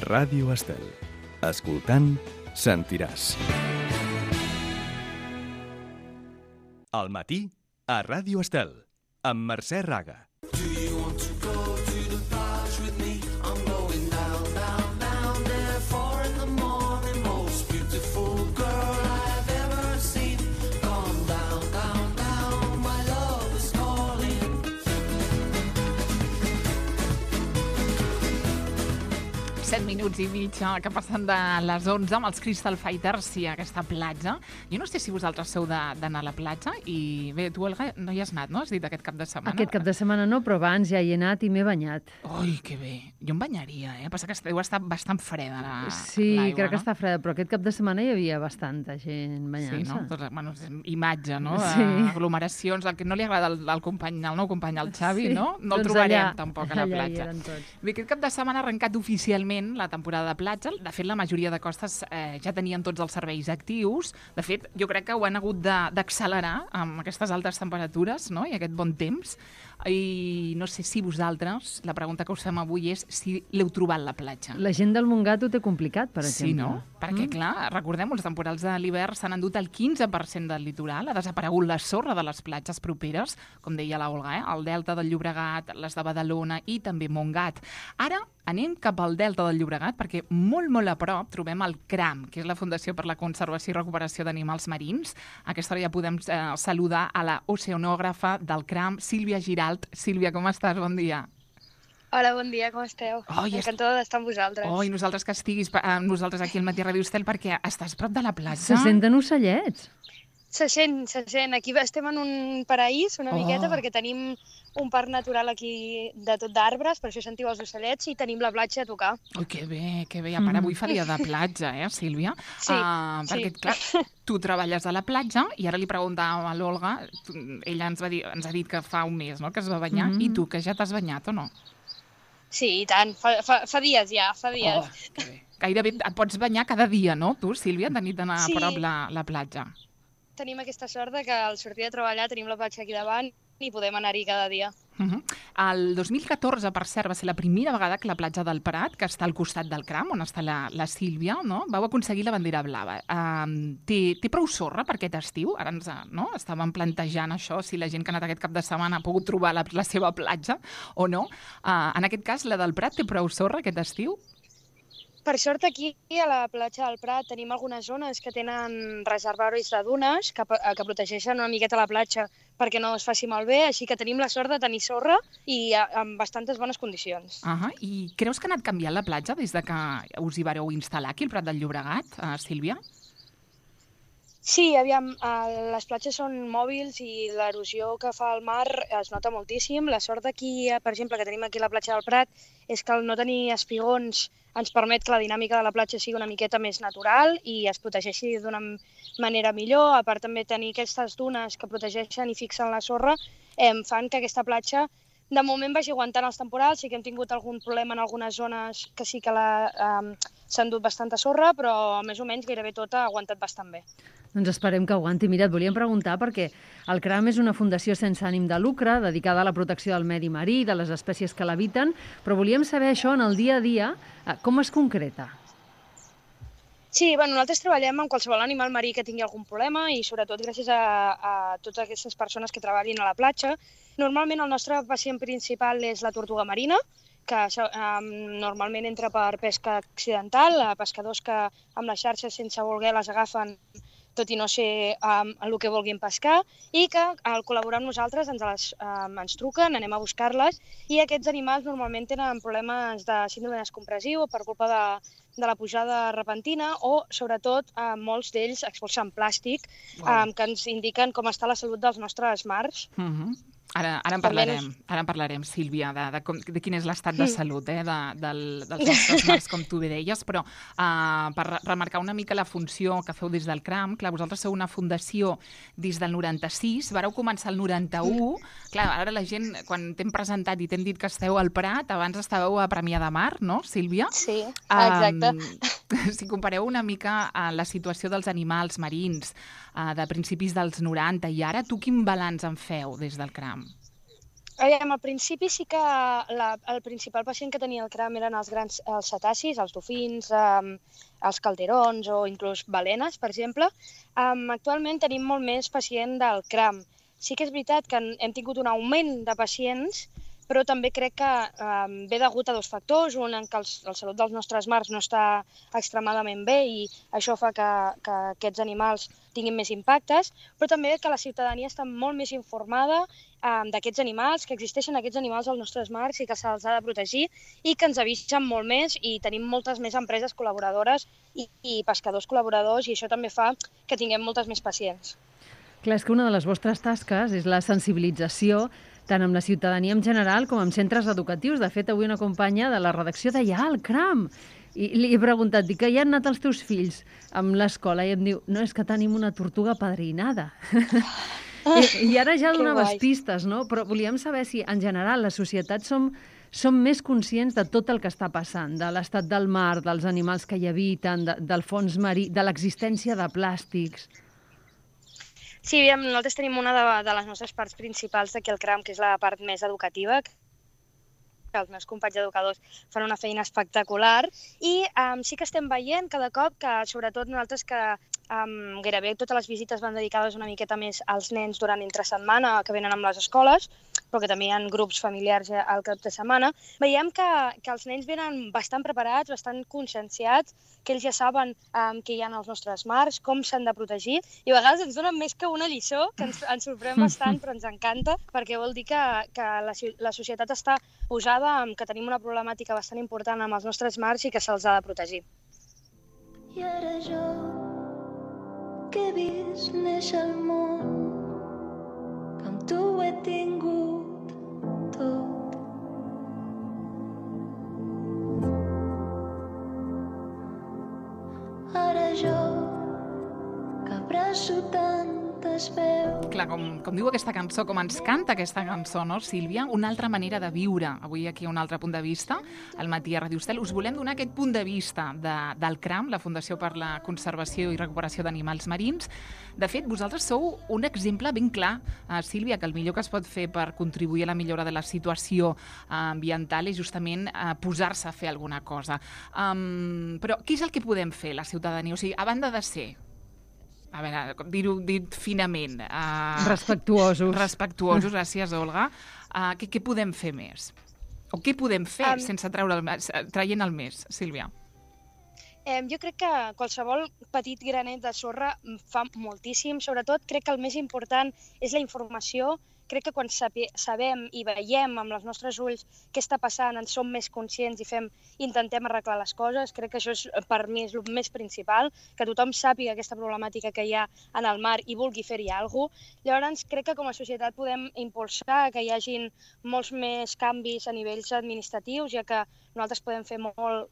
Ràdio Estel. Escoltant, sentiràs. Al matí, a Ràdio Estel, amb Mercè Raga. Minuts i mig que passen de les 11 amb els Crystal Fighters i aquesta platja. Jo no sé si vosaltres sou d'anar a la platja i bé, tu, Olga, no hi has anat, no? Has dit aquest cap de setmana. Aquest cap de setmana no, però abans ja hi he anat i m'he banyat. Ui, que bé. Jo em banyaria, Passa que deu estar bastant freda l'aigua, Sí, crec que està freda, però aquest cap de setmana hi havia bastanta gent banyant-se. Sí, no? Doncs, bueno, imatge, no? Sí. Aglomeracions, el que no li agrada al nou company, al Xavi, Sí. no? No el Doncs trobarem allà, tampoc a la allà hi platja. eren tots. Bé, aquest cap de setmana ha arrencat oficialment la temporada de platja. De fet, la majoria de costes ja tenien tots els serveis actius. De fet, jo crec que ho han hagut d'accelerar amb aquestes altes temperatures, no? I aquest bon temps. I no sé si vosaltres, la pregunta que us fem avui és si l'heu trobat la platja. La gent del Montgat ho té complicat, per exemple. Sí, no? Perquè, clar, recordem, els temporals de l'hivern s'han endut el 15% del litoral, ha desaparegut la sorra de les platges properes, com deia la Olga, el delta del Llobregat, les de Badalona i també Montgat. Ara anem cap al delta del Llobregat perquè molt, molt a prop trobem el CRAM, que és la Fundació per la Conservació i Recuperació d'Animals Marins. A aquesta hora ja podem saludar a la oceanògrafa del CRAM, Sílvia Giralt. Sílvia, com estàs? Bon dia. Hola, bon dia, com esteu? Encantada d'estar amb vosaltres. I nosaltres que estiguis amb nosaltres aquí al Matí Ràdio Estel perquè estàs prop de la platja. Se senten ocellets. Se sent. Aquí estem en un paraís una miqueta perquè tenim un parc natural aquí de tot d'arbres, per això sentiu els ocellets i tenim la platja a tocar. Ui, que bé. A part, avui fa dia de platja, Sílvia? Sí, perquè, clar, tu treballes a la platja i ara li preguntàvem a l'Olga, ella ens ha dit que fa un mes, no?, que es va banyar, i tu, que ja t'has banyat o no? Sí, i tant. Fa dies ja, fa dies. Que bé. Gairebé et pots banyar cada dia, no, tu, Sílvia, de nit d'anar a prop la platja? Tenim aquesta sort que al sortir de treballar tenim la platja aquí davant i podem anar-hi cada dia. El 2014, per cert, va ser la primera vegada que la platja del Prat, que està al costat del CRAM, on està la Sílvia, no?, vau aconseguir la bandera blava. Té prou sorra per aquest estiu? Ara estàvem plantejant això, si la gent que ha anat aquest cap de setmana ha pogut trobar la seva platja o no. En aquest cas, la del Prat té prou sorra aquest estiu? Per sort, aquí a la platja del Prat tenim algunes zones que tenen reservoris de dunes que protegeixen una miqueta la platja perquè no es faci malbé, així que tenim la sort de tenir sorra i amb bastantes bones condicions. I creus que ha anat canviant la platja des de que us hi vareu instal·lar aquí al Prat del Llobregat, Sílvia? Sí, aviam, les platges són mòbils i l'erosió que fa el mar es nota moltíssim. La sort d'aquí, per exemple, que tenim aquí a la platja del Prat, és que el no tenir espigons ens permet que la dinàmica de la platja sigui una miqueta més natural i es protegeixi d'una manera millor. A part, també tenir aquestes dunes que protegeixen i fixen la sorra fan que aquesta platja de moment vagi aguantant els temporals. Sí que hem tingut algun problema en algunes zones que sí que s'ha endut bastanta sorra, però més o menys gairebé tota ha aguantat bastant bé. Doncs esperem que aguanti. Mira, et volíem preguntar perquè el CRAM és una fundació sense ànim de lucre dedicada a la protecció del medi marí i de les espècies que l'habiten, però volíem saber això en el dia a dia, com es concreta? Sí, nosaltres treballem amb qualsevol animal marí que tingui algun problema i sobretot gràcies a totes aquestes persones que treballin a la platja. Normalment el nostre pacient principal és la tortuga marina, que normalment entra per pesca accidental, pescadors que amb les xarxes sense voler les agafen tot i no ser el que vulguin pescar, i que al col·laborar amb nosaltres ens truquen, anem a buscar-les, i aquests animals normalment tenen problemes de síndrome descompressiu per culpa de la pujada repentina o, sobretot, molts d'ells expulsen plàstic que ens indiquen com està la salut dels nostres mars. Ara en parlarem, Sílvia, de quin és l'estat de salut dels nostres mars, com tu bé deies, però per remarcar una mica la funció que feu des del CRAM, clar, vosaltres sou una fundació des del 96, vareu començar el 91, clar, ara la gent, quan t'hem presentat i t'hem dit que esteu al Prat, abans estàveu a Premià de Mar, no, Sílvia? Sí, exacte. Si compareu una mica la situació dels animals marins de principis dels 90 i ara, tu quin balanç en feu des del CRAM? Al principi sí que el principal pacient que tenia el cram eren els cetacis, els dofins, els calderons o inclús balenes, per exemple. Actualment tenim molt més pacient del cram. Sí que és veritat que hem tingut un augment de pacients, però també crec que ve degut a dos factors. Un, en què la salut dels nostres mars no està extremadament bé i això fa que aquests animals tinguin més impactes, però també que la ciutadania està molt més informada d'aquests animals, que existeixen aquests animals als nostres mars i que se'ls ha de protegir i que ens avisen molt més i tenim moltes més empreses col·laboradores i pescadors col·laboradors i això també fa que tinguem moltes més pacients. Clar, és que una de les vostres tasques és la sensibilització tant amb la ciutadania en general com amb centres educatius. De fet, avui una companya de la redacció deia el cram! I li he preguntat, dic, que hi han anat els teus fills amb l'escola? I em diu, no, és que tenim una tortuga padrinada. I ara ja donaves pistes, no? Però volíem saber si, en general, la societat som més conscients de tot el que està passant, de l'estat del mar, dels animals que hi habiten, del fons marí, de l'existència de plàstics. Sí, nosaltres tenim una de les nostres parts principals d'aquí al CRAM, que és la part més educativa, que els meus companys educadors fan una feina espectacular i sí que estem veient cada cop que, sobretot nosaltres que gairebé totes les visites van dedicades una miqueta més als nens durant entre setmana que venen amb les escoles, però que també hi ha grups familiars al cap de setmana, veiem que els nens venen bastant preparats, bastant conscienciats, que ells ja saben què hi ha als nostres mars, com s'han de protegir, i a vegades ens donen més que una lliçó, que ens sorprèn bastant, però ens encanta, perquè vol dir que la societat està posada, que tenim una problemàtica bastant important amb els nostres mars i que se'ls ha de protegir. I ara jo, que he vist néixer el món, que amb tu ho he tingut tot. Ara jo, que abraço tantes veus. Clar, com diu aquesta cançó, com ens canta aquesta cançó, no, Sílvia? Una altra manera de viure. Avui aquí un altre punt de vista, al matí a Ràdio Estel. Us volem donar aquest punt de vista del CRAM, la Fundació per la Conservació i Recuperació d'Animals Marins. De fet, vosaltres sou un exemple ben clar, Sílvia, que el millor que es pot fer per contribuir a la millora de la situació ambiental és justament posar-se a fer alguna cosa. Però què és el que podem fer, la ciutadania? O sigui, a banda de ser, a veure, dir-ho dit finament. Respectuosos. Respectuosos, gràcies, Olga. Què podem fer més? O què podem fer sense traient el més, Sílvia? Jo crec que qualsevol petit granet de sorra fa moltíssim. Sobretot, crec que el més important és la informació. Crec que quan sabem i veiem amb els nostres ulls què està passant, en som més conscients i intentem arreglar les coses. Crec que això per mi és el més principal, que tothom sàpiga aquesta problemàtica que hi ha en el mar i vulgui fer-hi alguna cosa. Llavors, crec que com a societat podem impulsar que hi hagin molts més canvis a nivells administratius, ja que nosaltres podem fer molt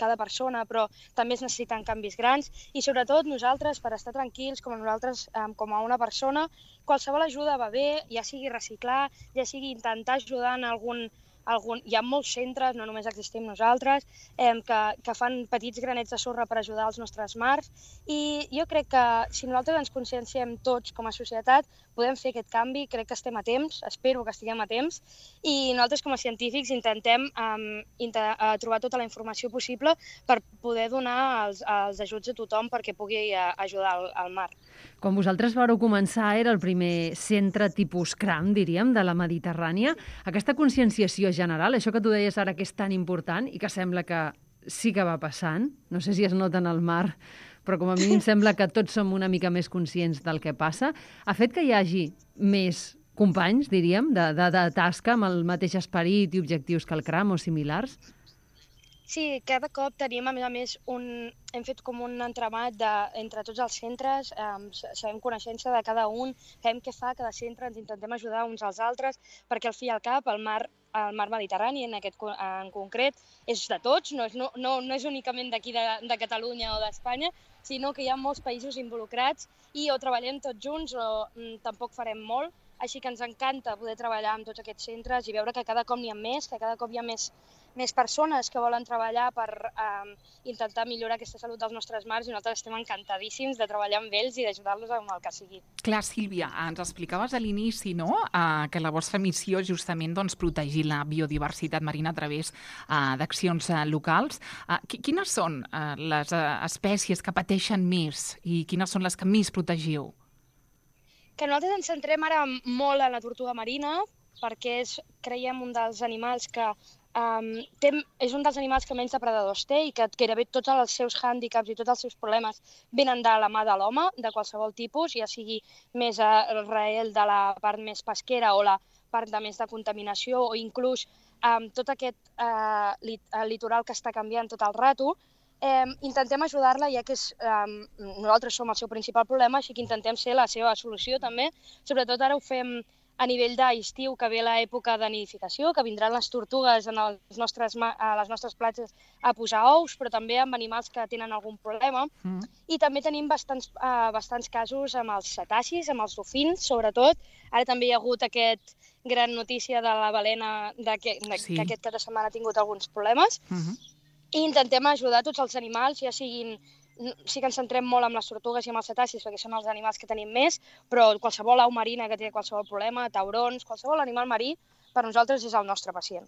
cada persona, però també es necessiten canvis grans i sobretot nosaltres, per estar tranquils com a nosaltres, com a una persona, qualsevol ajuda va bé, ja sigui reciclar, ja sigui intentar ajudar en algun... Hi ha molts centres, no només existim nosaltres, que fan petits granets de sorra per ajudar els nostres mars i jo crec que si nosaltres ens conscienciem tots com a societat podem fer aquest canvi, crec que estem a temps, espero que estiguem a temps i nosaltres com a científics intentem trobar tota la informació possible per poder donar els ajuts a tothom perquè pugui ajudar al mar. Quan vosaltres vareu començar era el primer centre tipus CRAM, diríem, de la Mediterrània. Aquesta conscienciació general, això que tu deies ara que és tan important i que sembla que sí que va passant, no sé si es nota en el mar, però com a mínim sembla que tots som una mica més conscients del que passa, ha fet que hi hagi més companys, diríem, de tasca amb el mateix esperit i objectius que el CRAM o similars? Sí, cada cop tenim, a més, hem fet com un entramat entre tots els centres, sabem coneixença de cada un, sabem què fa cada centre, ens intentem ajudar uns als altres, perquè al fi i al cap el mar Mediterrani en concret és de tots, no és únicament d'aquí de Catalunya o d'Espanya, sinó que hi ha molts països involucrats i o treballem tots junts o tampoc farem molt. així que ens encanta poder treballar amb tots aquests centres i veure que cada cop n'hi ha més, que cada cop hi ha més persones que volen treballar per intentar millorar aquesta salut dels nostres mares i nosaltres estem encantadíssims de treballar amb ells i d'ajudar-los amb el que sigui. Clar, Sílvia, ens explicaves a l'inici, no?, que la vostra missió és justament protegir la biodiversitat marina a través d'accions locals. Quines són les espècies que pateixen més i quines són les que més protegiu? Que nosaltres ens centrem ara molt en la tortuga marina perquè creiem un dels animals que és un dels animals que menys depredadors té i que gairebé tots els seus hàndicaps i tots els seus problemes venen de la mà de l'home, de qualsevol tipus, ja sigui més arrel de la part més pesquera o la part de més de contaminació o inclús tot aquest litoral que està canviant tot el rato. Intentem ajudar-la, ja que nosaltres som el seu principal problema, així que intentem ser la seva solució també. Sobretot ara ho fem a nivell d'estiu, que ve l'època de nidificació, que vindran les tortugues a les nostres platges a posar ous, però també amb animals que tenen algun problema. I també tenim bastants casos amb els cetacis, amb els dofins, sobretot. Ara també hi ha hagut aquesta gran notícia de la balena que aquest cap de setmana ha tingut alguns problemes. I intentem ajudar tots els animals, ja siguin... Sí que ens centrem molt en les tortugues i en els cetacis perquè són els animals que tenim més, però qualsevol au marina que té qualsevol problema, taurons, qualsevol animal marí, per nosaltres és el nostre pacient.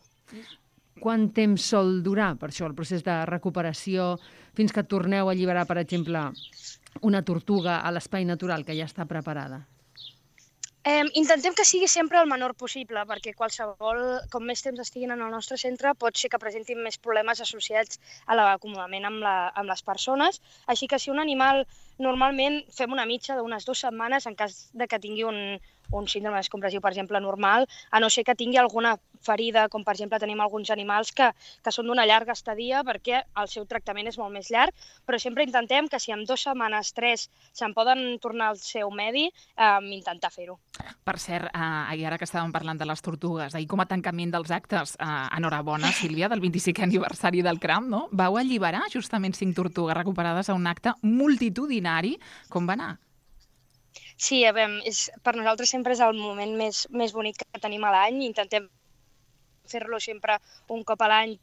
Quant temps sol durar, per això, el procés de recuperació, fins que torneu a alliberar, per exemple, una tortuga a l'espai natural que ja està preparada? Intentem que sigui sempre el menor possible, perquè com més temps estiguin en el nostre centre, pot ser que presentin més problemes associats a l'acomodament amb les persones. Així que si un animal, normalment fem una mitja d'unes 2 setmanes en cas de que tingui un síndrome descompressiu, per exemple, normal, a no ser que tingui alguna ferida, com per exemple tenim alguns animals que són d'una llarga estadia perquè el seu tractament és molt més llarg, però sempre intentem que si en 2 setmanes, 3, se'n poden tornar al seu medi, intentar fer-ho. Per cert, i ara que estàvem parlant de les tortugues, ahir com a tancament dels actes, enhorabona, Sílvia, del 25è aniversari del CRAM, no? Vau alliberar justament 5 tortugues recuperades a un acte multitudinari. Com va anar? Sí, per nosaltres sempre és el moment més bonic que tenim a l'any. Intentem fer-lo sempre un cop a l'any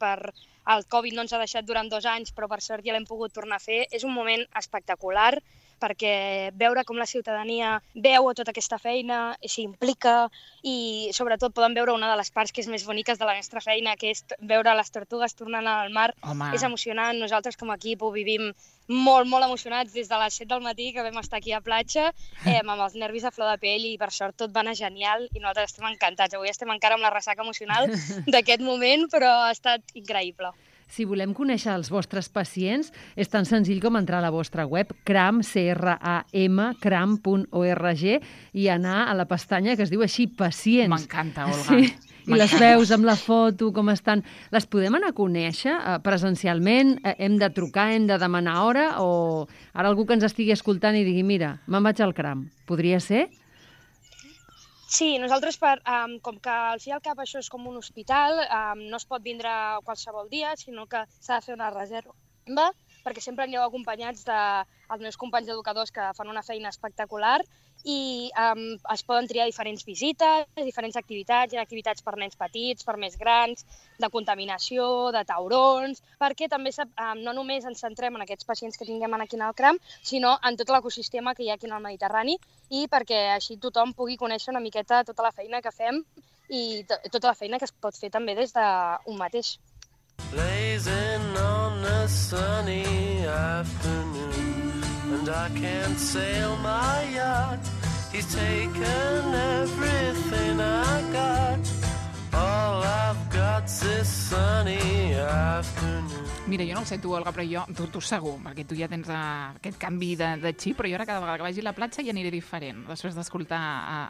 el Covid no ens ha deixat durant 2 anys, però per sort ja l'hem pogut tornar a fer. És un moment espectacular perquè veure com la ciutadania veu tota aquesta feina, s'implica i sobretot poden veure una de les parts que és més boniques de la nostra feina, que és veure les tortugues tornant al mar. Home. És emocionant. Nosaltres com a equip ho vivim molt, molt emocionats des de les 7 del matí que vam estar aquí a platja, amb els nervis a flor de pell i per sort tot va anar genial i nosaltres estem encantats. Avui estem encara amb la ressaca emocional d'aquest moment, però ha estat increïble. Si volem conèixer els vostres pacients, és tan senzill com entrar a la vostra web, cram.org, i anar a la pestanya que es diu així, pacients. M'encanta, Olga. Sí. I les veus amb la foto, com estan. Les podem anar a conèixer presencialment? Hem de trucar, hem de demanar hora? O ara algú que ens estigui escoltant i digui, mira, me'n vaig al CRAM. Podria ser? Sí, nosaltres, com que al fi i al cap això és com un hospital, no es pot vindre qualsevol dia, sinó que s'ha de fer una reserva, perquè sempre aneu acompanyats dels meus companys educadors que fan una feina espectacular i es poden triar diferents visites, diferents activitats, hi ha activitats per nens petits, per més grans, de contaminació, de taurons, perquè també no només ens centrem en aquests pacients que tinguem aquí en el CRAM, sinó en tot l'ecosistema que hi ha aquí en el Mediterrani i perquè així tothom pugui conèixer una miqueta tota la feina que fem i tota la feina que es pot fer també des d'un mateix. Blazing on a sunny afternoon and I can't sail my yacht. He's taken everything I got. All I've got's this sunny afternoon. Mira, jo no ho sé tu, Olga, però jo, tu segur, perquè tu ja tens aquest canvi de xip, però jo ara cada vegada que vagi a la platja ja aniré diferent, després d'escoltar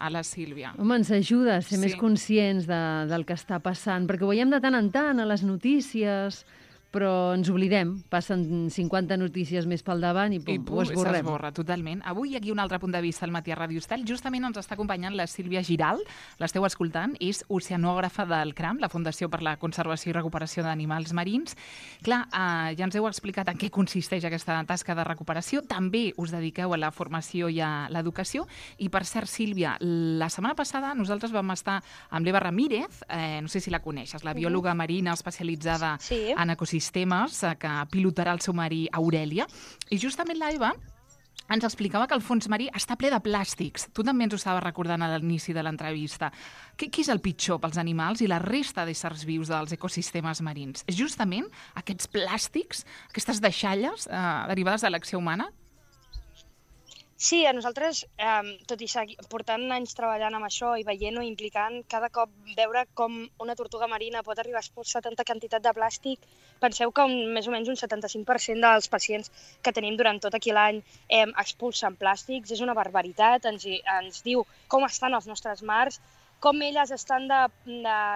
a la Sílvia. Home, ens ajuda a ser més conscients del que està passant, perquè ho veiem de tant en tant a les notícies, però ens oblidem. Passen 50 notícies més pel davant i pum, ho esborrem. S'esborra, totalment. Avui aquí un altre punt de vista al matí a Ràdio Estel. Justament ens està acompanyant la Sílvia Giral, l'esteu escoltant, és oceanògrafa del CRAM, la Fundació per la Conservació i Recuperació d'Animals Marins. Clar, ja ens heu explicat en què consisteix aquesta tasca de recuperació. També us dediqueu a la formació i a l'educació. I per cert, Sílvia, la setmana passada nosaltres vam estar amb l'Eva Ramírez, no sé si la coneixes, la biòloga marina especialitzada en ecosistemes, que pilotarà el seu marí Aurèlia. I justament l'Eva ens explicava que el fons marí està ple de plàstics. Tu també ens ho estaves recordant a l'inici de l'entrevista. Què és el pitjor pels animals i la resta d'éssers vius dels ecosistemes marins? És justament aquests plàstics, aquestes deixalles derivades de l'acció humana? Sí, a nosaltres, tot i portant anys treballant amb això i veient-ho, implicant, cada cop veure com una tortuga marina pot arribar a expulsar tanta quantitat de plàstic, penseu que més o menys un 75% dels pacients que tenim durant tot aquí l'any expulsen plàstics, és una barbaritat, ens diu com estan els nostres mars, com elles estan de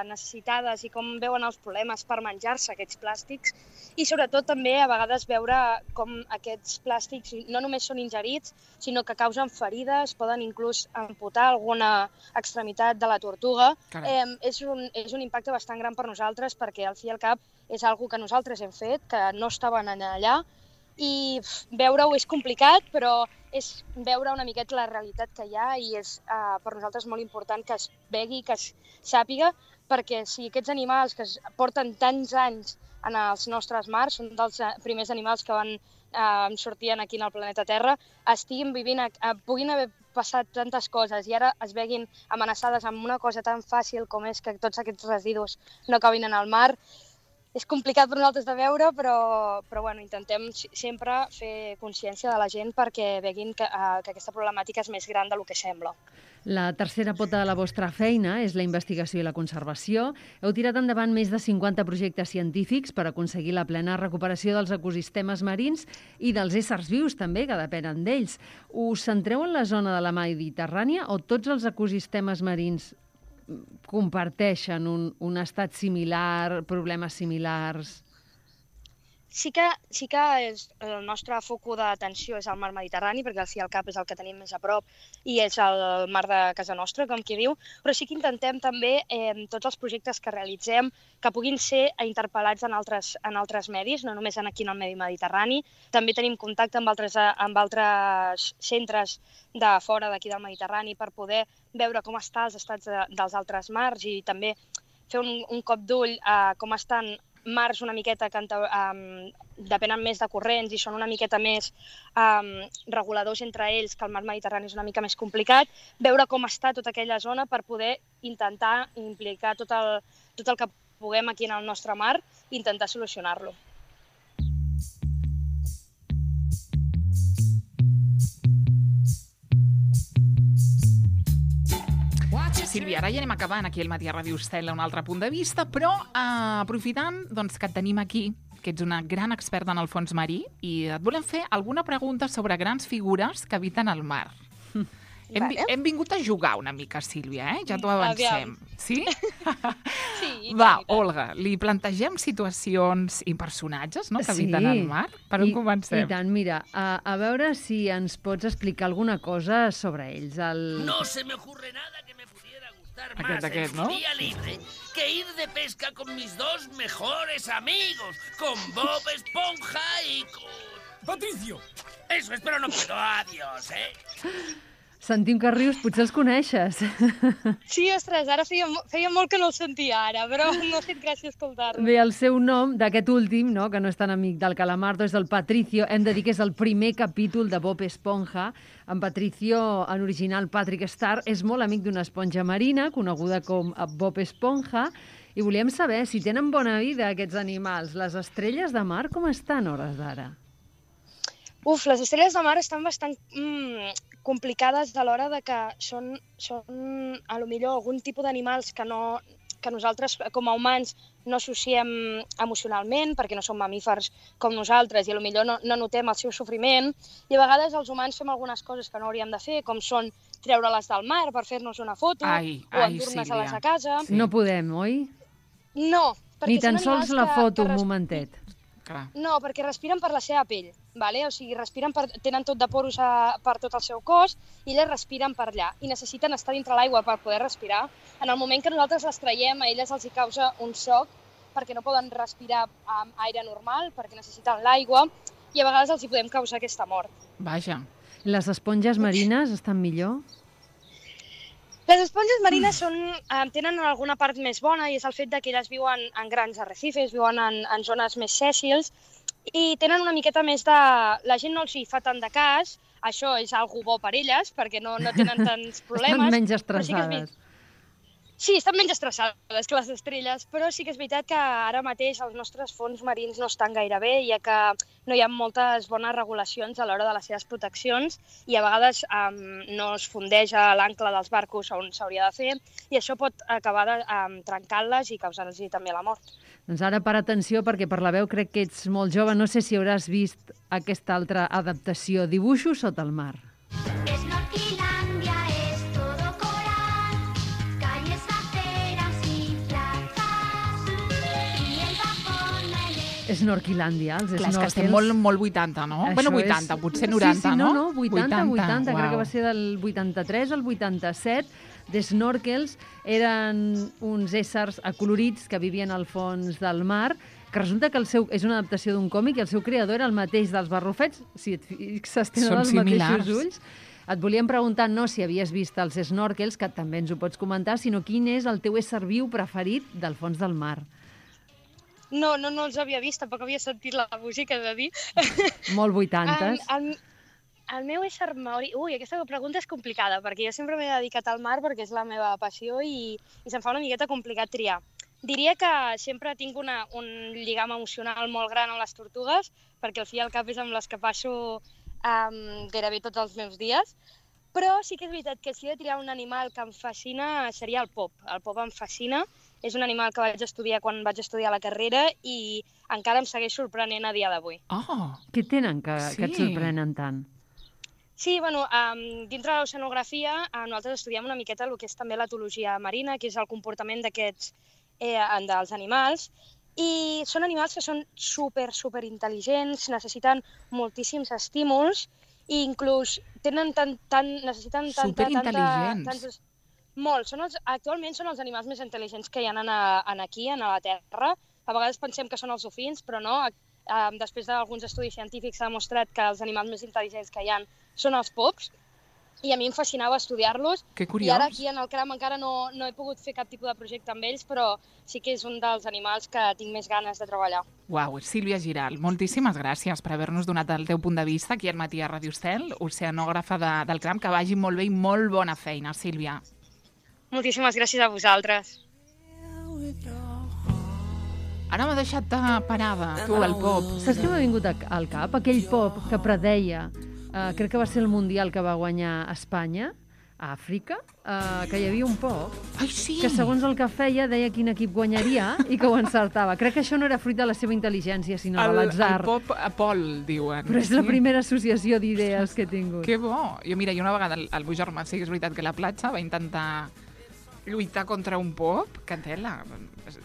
necessitades i com veuen els problemes per menjar-se aquests plàstics i sobretot també a vegades veure com aquests plàstics no només són ingerits, sinó que causen ferides, poden inclús amputar alguna extremitat de la tortuga. És un impacte bastant gran per nosaltres perquè al fi i al cap és una cosa que nosaltres hem fet, que no estaven allà, i veure-ho és complicat, però és veure una miqueta la realitat que hi ha i és per nosaltres molt important que es vegi, que es sàpiga, perquè si aquests animals que porten tants anys en els nostres mars, són dels primers animals que van sortir aquí en el planeta Terra, estiguin vivint, puguin haver passat tantes coses i ara es veguin amenaçades amb una cosa tan fàcil com és que tots aquests residus no acabin en el mar. És complicat per nosaltres de veure, però bueno, intentem sempre fer consciència de la gent perquè veguin que aquesta problemàtica és més gran del que sembla. La tercera pota de la vostra feina és la investigació i la conservació. Heu tirat endavant més de 50 projectes científics per aconseguir la plena recuperació dels ecosistemes marins i dels éssers vius també, que depenen d'ells. Us centreu en la zona de la Mediterrània o tots els ecosistemes marins comparteixen un estat similar, problemes similars? Sí que el nostre focus d'atenció és el mar Mediterrani, perquè al fi i al cap és el que tenim més a prop i és el mar de casa nostra, com qui diu, però sí que intentem també tots els projectes que realitzem que puguin ser interpel·lats en altres medis, no només aquí en el medi mediterrani. També tenim contacte amb altres centres de fora d'aquí del Mediterrani per poder veure com estan els estats dels altres mars i també fer un cop d'ull a com estan mars una miqueta que depenen més de corrents i són una miqueta més reguladors entre ells, que el mar Mediterrani és una mica més complicat, veure com està tota aquella zona per poder intentar implicar tot el que puguem aquí en el nostre mar i intentar solucionar-lo. Sílvia, ara ja anem acabant aquí al matí a Ràdio Estel un altre punt de vista, però aprofitant que et tenim aquí, que ets una gran experta en el fons marí, i et volem fer alguna pregunta sobre grans figures que habiten al mar. Hem vingut a jugar una mica, Sílvia, ja t'ho avancem. Sí? Sí. Va, Olga, li plantegem situacions i personatges que habiten al mar? Per on comencem? I tant, mira, a veure si ens pots explicar alguna cosa sobre ells. No se me ocurre nada que me pudiera gustar más en mi día libre que ir de pesca con mis dos mejores amigos, con Bob Esponja y con... Patricio! Eso es, pero no puedo. Adiós, Sentim que rius, potser els coneixes. Sí, ostres, ara feia molt que no el sentia ara, però no sé, gràcies escoltar-lo. Bé, el seu nom, d'aquest últim, que no és tan amic del Calamardo, és el Patricio. Hem de dir que és el primer capítol de Bob Esponja. En Patricio, en original Patrick Star, és molt amic d'una esponja marina, coneguda com Bob Esponja, i volíem saber si tenen bona vida aquests animals. Les estrelles de mar com estan a hores d'ara? Les estrelles de mar estan bastant complicades a l'hora de que són a lo millor algun tipus d'animals que nosaltres com a humans no associem emocionalment perquè no som mamífers com nosaltres i a lo millor no notem el seu sofriment i a vegades els humans fem algunes coses que no hauríem de fer, com són treure-les del mar per fer-nos una foto o endur-nos-les a casa. Sí. No podem, oi? No. Ni tan sols la foto, un momentet. Clar. No, perquè respiren per la seva pell, vale? O sigui, tenen tot de poros per tot el seu cos i elles respiren per allà i necessiten estar dintre l'aigua per poder respirar. En el moment que nosaltres les traiem, a elles els hi causa un xoc perquè no poden respirar amb aire normal, perquè necessiten l'aigua i a vegades els hi podem causar aquesta mort. Vaja. Les esponges marines estan millor? Les esponges marines tenen alguna part més bona i és el fet que elles viuen en grans arrecifes, viuen en zones més sèssils i tenen una miqueta més de... La gent no els hi fa tant de cas, això és algo bo per elles perquè no tenen tants problemes. Estan menys estressades. Sí, estan menys estressades que les estrelles, però sí que és veritat que ara mateix els nostres fons marins no estan gaire bé, ja que no hi ha moltes bones regulacions a l'hora de les seves proteccions i a vegades no es fundeix a l'ancle dels barcos on s'hauria de fer i això pot acabar trencant-les i causar-los també la mort. Doncs ara per atenció, perquè per la veu crec que ets molt jove, no sé si hauràs vist aquesta altra adaptació, Dibuixos sota el mar. Snorquilàndia, els Clar, snorkels. és que estem molt 80, no? Això Bueno, 80, potser 90, sí, no? no, 80, Uau. crec que va ser del 83 al 87. De snorkels eren uns éssers acolorits que vivien al fons del mar, que resulta que és una adaptació d'un còmic i el seu creador era el mateix dels barrufets, si et fixes, tenen Són els similars. mateixos ulls. Et volíem preguntar no si havies vist els snorkels, que també ens ho pots comentar, sinó quin és el teu ésser viu preferit del fons del mar. No els havia vist, tampoc havia sentit la música, de dir. Molt 80s. El meu ésser maori... Ui, aquesta pregunta és complicada, perquè jo sempre m'he dedicat al mar perquè és la meva passió i se'm fa una miqueta complicat triar. Diria que sempre tinc un lligam emocional molt gran amb les tortugues, perquè al fi i al cap és amb les que passo gairebé tots els meus dies, però sí que és veritat que si he de triar un animal que em fascina seria el pop. El pop em fascina, és un animal que vaig estudiar quan vaig estudiar la carrera i encara em segueix sorprenent a dia d'avui. Oh! Què tenen que et sorprenen tant? Sí, bueno, dintre de l'oceanografia nosaltres estudiem una miqueta el que és també l'etologia marina, que és el comportament d'aquests dels animals, i són animals que són super intel·ligents, necessiten moltíssims estímuls i inclús necessiten superintel·ligents. Molt. Actualment són els animals més intel·ligents que hi ha aquí, a la Terra. A vegades pensem que són els dofins, però no. Després d'alguns estudis científics s'ha demostrat que els animals més intel·ligents que hi ha són els pops, i a mi em fascinava estudiar-los. Que curiós. I ara aquí en el CRAM encara no he pogut fer cap tipus de projecte amb ells, però sí que és un dels animals que tinc més ganes de treballar. Uau, Sílvia Giral, moltíssimes gràcies per haver-nos donat el teu punt de vista aquí al matí a Ràdio Estel, oceanògrafa del CRAM, que vagi molt bé i molt bona feina, Sílvia. Moltíssimes gràcies a vosaltres. Ara m'ha deixat parada, tu, el pop. Saps què m'ha vingut al cap? Aquell pop que predeia, crec que va ser el Mundial que va guanyar Espanya, a Àfrica, que hi havia un pop Ai, sí! que segons el que feia deia quin equip guanyaria i que ho encertava. Crec que això no era fruit de la seva intel·ligència, sinó de l'atzar. El pop Apol, diuen. Però és la primera associació d'idees que he tingut. Que bo! Jo, mira, una vegada el meu germà, sí que és veritat que a la platja va intentar lluitar contra un pop, que tela.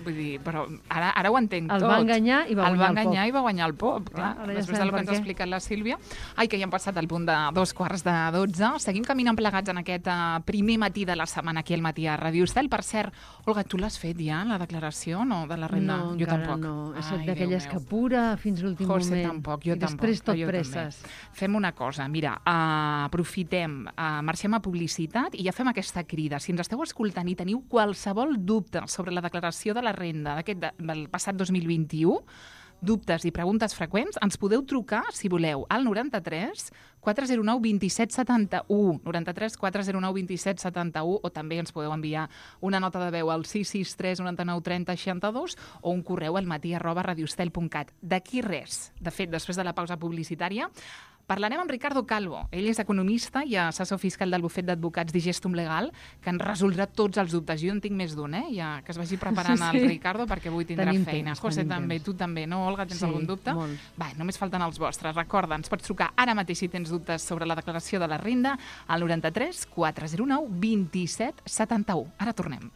Vull dir, però ara ho entenc tot. El va enganyar i va guanyar el pop. Clar, després del que ens ha explicat la Sílvia. Ai, que ja hem passat al punt de 11:45. Seguim caminant plegats en aquest primer matí de la setmana aquí al matí a Ràdio Estel. Per cert, Olga, tu l'has fet ja, la declaració, no, de la renda? No, jo encara tampoc. no. He estat d'aquelles que apura fins l'últim moment. José tampoc, jo I després tampoc. tot presses. Fem una cosa, mira, aprofitem, marxem a publicitat i ja fem aquesta crida. Si ens esteu escoltant i teniu qualsevol dubte sobre la declaració de la renda del passat 2021, dubtes i preguntes freqüents, ens podeu trucar, si voleu, al 93 409 27 71, 93 409 27 71, o també ens podeu enviar una nota de veu al 663 99 30 62 o un correu al matí@radioestel.cat. D'aquí res. De fet, després de la pausa publicitària, parlarem amb Ricardo Calvo. Ell és economista i assessor fiscal del bufet d'advocats Digestum Legal, que ens resoldrà tots els dubtes. Jo en tinc més d'un, ja que es vagi preparant el Ricardo, perquè avui tindrà feina. José també, tu també, no, Olga? Tens algun dubte? Molt. Va, només falten els vostres. Recorda, ens pots trucar ara mateix si tens dubtes sobre la declaració de la renda al 93 409 27 71. Ara tornem.